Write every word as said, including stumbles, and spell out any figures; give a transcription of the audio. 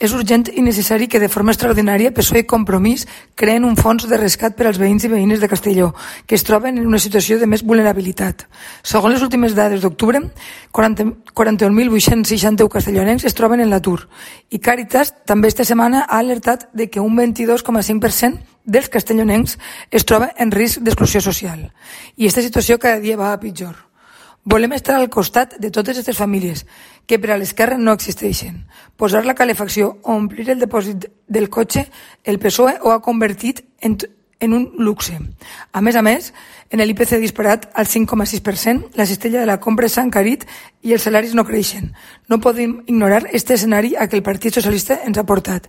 És urgent i necessari que de forma extraordinària P S O E i Compromís creen un fons de rescat per als veïns i veïnes de Castelló, que es troben en una situació de més vulnerabilitat. Segons les últimes dades d'octubre, quaranta-un mil vuit-cents seixanta-u castellonencs es troben en l'atur i Càritas també esta setmana ha alertat de que un vint-i-dos coma cinc per cent dels castellonencs es troba en risc d'exclusió social. I aquesta situació cada dia va a pitjor. Volem estar al costat de totes aquestes famílies que per a l'esquerra no existeixen. Posar la calefacció o omplir el depòsit del cotxe, el P S O E ho ha convertit en, en un luxe. A més a més, en l'I P C disparat al cinc coma sis per cent, la cistella de la compra s'ha encarit i els salaris no creixen. No podem ignorar aquest escenari a què el Partit Socialista ens ha portat.